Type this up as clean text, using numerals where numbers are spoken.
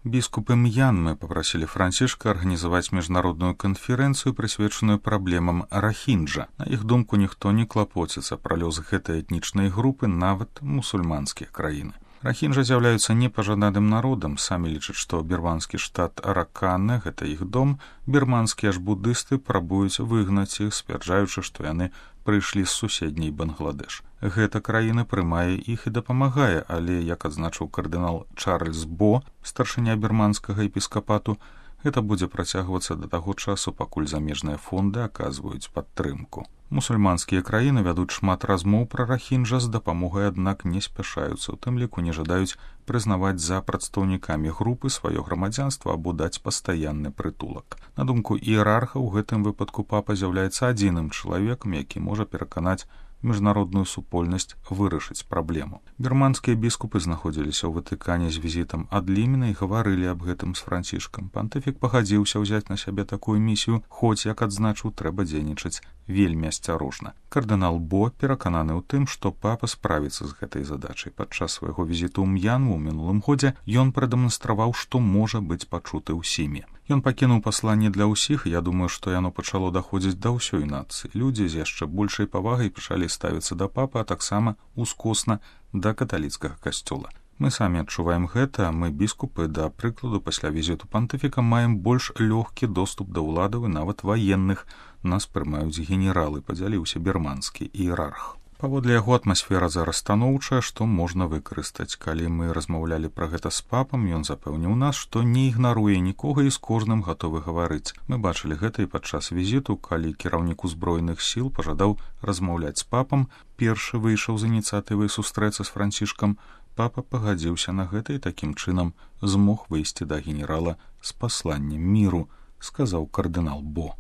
Біскупы Мьянмы попросили Францішка арганізаваць міжнародную канферэнцыю, прысвечаную праблемам рахінджа. На іх думку, ніхто не клапоціцца пра лёс гэтай этнічнай групы, нават мусульманскія краіны. Рахінджа з'яўляюцца непажаданым народам, самі лічаць, што бірманскі штат Аракана – гэта іх дом, бірманскія ж буддысты прабуюць выгнаць іх, сцвярджаючы, што яны прыйшлі з суседняй Бангладеш. Гэта краіна прымае іх і дапамагае, але, як адзначыў кардынал Чарльз Бо, старшыня бірманскага епіскапату, гэта будзе працягвацца да таго часу, пакуль замежныя фонды аказваюць падтрымку. Мусульманскія краіны вядуць шмат размоў пра рахінджа з дапамогай, аднак не спяшаюцца, у тым ліку не жадаюць прызнаваць за прадстаўнікамі групы сваё грамадзянства або даць пастаянны прытулак. На думку іерарха, у гэтым выпадку папа з'яўляецца адзіным чалавекам, які можа пераканаць міжнародную супольнасць вырашыць праблему. Бірманскія біскупы знаходзіліся ў Ватыкане з візітам ад Лімена і гаварылі аб гэтым з Францішкам. Пантыфік пагадзіўся ўзяць на сябе такую місію, хоць, як адзначыў, трэба дзейнічаць вельмі асцярожна. Кардынал Бо перакананы ў тым, што папа справіцца з гэтай задачай. Падчас свайго візіту ў Мьянму ў мінулым годзе ён прадэманстраваў, што можа быць пачуты ўсімі. Ён пакінуў пасланне для ўсіх, і я думаю, што яно пачало даходзіць да ўсёй нацыі. Людзі з яшчэ большай павагай пачалі ставіцца да папы, а таксама ускосна да каталіцкага касцёла. Мы самі адчуваем гэта, мы, біскупы, да прыкладу, пасля візіту пантыфіка маем больш лёгкі доступ да ўладаў і нават ваенных. Нас прымаюць генералы, падзяліўся бірманскі іерарх. Паводле яго атмасфера зараз станоўчая, што можна выкарыстаць. Калі мы размаўлялі пра гэта з папам, ён запэўніў нас, што не ігнаруе нікога і з кожным гатовы гаварыць. Мы бачылі гэта і падчас візіту, калі кіраўнік узброеных сіл пажадаў размаўляць з папам, першы выйшаў з ініцыятывай сустрэцца з Францішкам. Папа пагадзіўся на гэта і такім чынам змог выйсці да генерала з пасланнем міру, сказаў кардынал Бо.